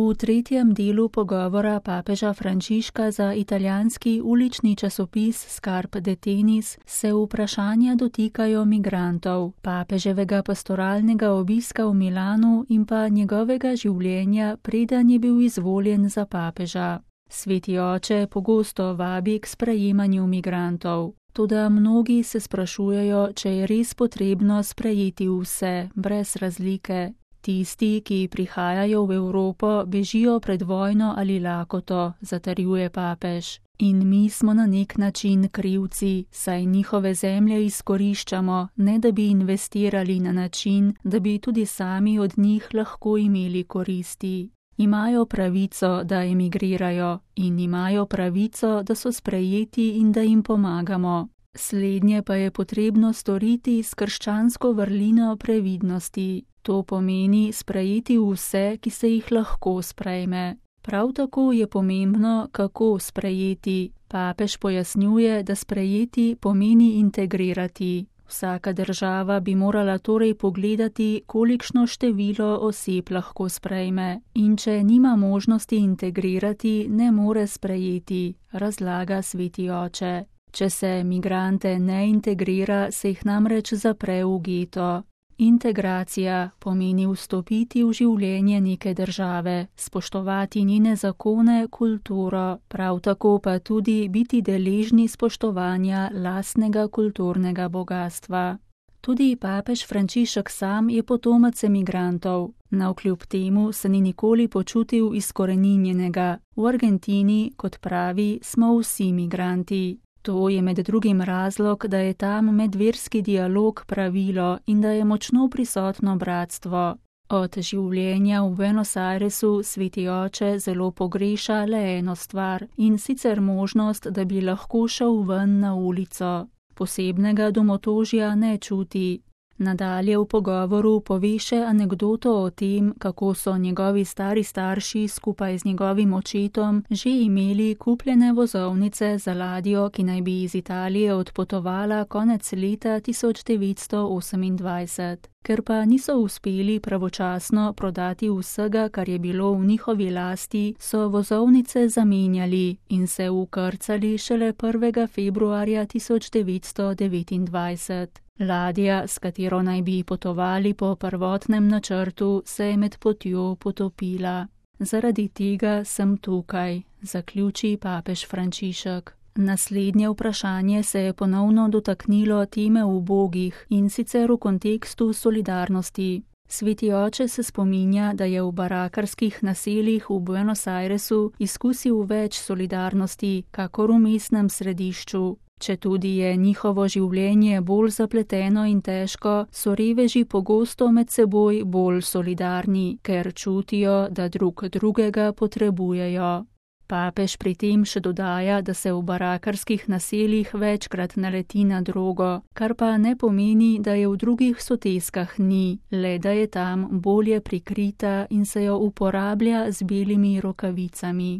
V tretjem delu pogovora papeža Frančiška za italijanski ulični časopis Scarpe de Tenis se vprašanja dotikajo migrantov, papeževega pastoralnega obiska v Milanu in pa njegovega življenja, preden je bil izvoljen za papeža. Sveti oče pogosto vabi k sprejemanju migrantov, toda mnogi se sprašujejo, če je res potrebno sprejeti vse, brez razlike. Tisti, ki prihajajo v Evropo, bežijo pred vojno ali lakoto, zatrjuje papež. In mi smo na nek način krivci, saj njihove zemlje izkoriščamo, ne da bi investirali na način, da bi tudi sami od njih lahko imeli koristi. Imajo pravico, da emigrirajo in imajo pravico, da so sprejeti in da jim pomagamo. Slednje pa je potrebno storiti s krščansko vrlino previdnosti. To pomeni sprejeti vse, ki se jih lahko sprejme. Prav tako je pomembno, kako sprejeti. Papež pojasnjuje, da sprejeti pomeni integrirati. Vsaka država bi morala torej pogledati, kolikšno število oseb lahko sprejme. In če nima možnosti integrirati, ne more sprejeti, razlaga sveti oče. Če se migrante ne integrira, se jih namreč zapre v geto. Integracija pomeni vstopiti v življenje neke države, spoštovati njene zakone, kulturo, prav tako pa tudi biti deležni spoštovanja lastnega kulturnega bogastva. Tudi papež Frančišek sam je potomac emigrantov, navkljub temu se ni nikoli počutil izkoreninjenega. V Argentini, kot pravi, smo vsi migranti. To je med drugim razlog, da je tam medverski dialog pravilo in da je močno prisotno bratstvo. Od življenja v Buenos Airesu sveti oče zelo pogreša le eno stvar, in sicer možnost, da bi lahko šel ven na ulico. Posebnega domotožja ne čuti. Nadalje v pogovoru pove še anekdoto o tem, kako so njegovi stari starši skupaj z njegovim očetom že imeli kupljene vozovnice za ladjo, ki naj bi iz Italije odpotovala konec leta 1928. Ker pa niso uspeli pravočasno prodati vsega, kar je bilo v njihovi lasti, so vozovnice zamenjali in se vkrcali šele 1. februarja 1929. Ladja, s katero naj bi potovali po prvotnem načrtu, se je med potjo potopila. Zaradi tega sem tukaj, zaključi papež Frančišek. Naslednje vprašanje se je ponovno dotaknilo teme ubogih, in sicer v kontekstu solidarnosti. Sveti oče se spominja, da je v barakarskih naseljih v Buenos Airesu izkusil več solidarnosti, kakor v mestnem središču. Četudi je njihovo življenje bolj zapleteno in težko, so reveži pogosto med seboj bolj solidarni, ker čutijo, da drug drugega potrebujejo. Papež pri tem še dodaja, da se v barakarskih naseljih večkrat naleti na drogo, kar pa ne pomeni, da je v drugih soteskah ni, le da je tam bolje prikrita in se jo uporablja z belimi rokavicami.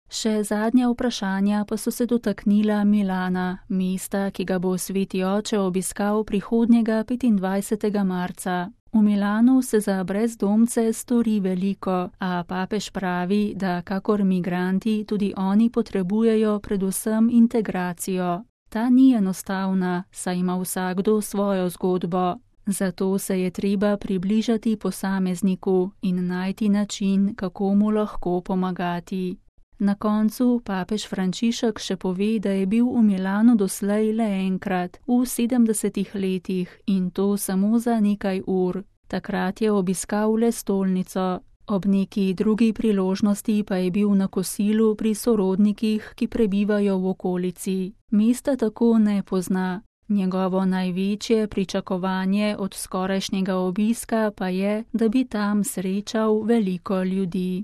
Še zadnja vprašanja pa so se dotaknila Milana, mesta, ki ga bo sveti oče obiskal prihodnjega 25. marca. V Milanu se za brezdomce stori veliko, a papež pravi, da kakor migranti tudi oni potrebujejo predvsem integracijo. Ta ni enostavna, saj ima vsakdo svojo zgodbo. Zato se je treba približati posamezniku in najti način, kako mu lahko pomagati. Na koncu papež Frančišek še pove, da je bil v Milanu doslej le enkrat, v 70 letih, in to samo za nekaj ur. Takrat je obiskal le stolnico. Ob neki drugi priložnosti pa je bil na kosilu pri sorodnikih, ki prebivajo v okolici. Mesta tako ne pozna. Njegovo največje pričakovanje od skorajšnjega obiska pa je, da bi tam srečal veliko ljudi.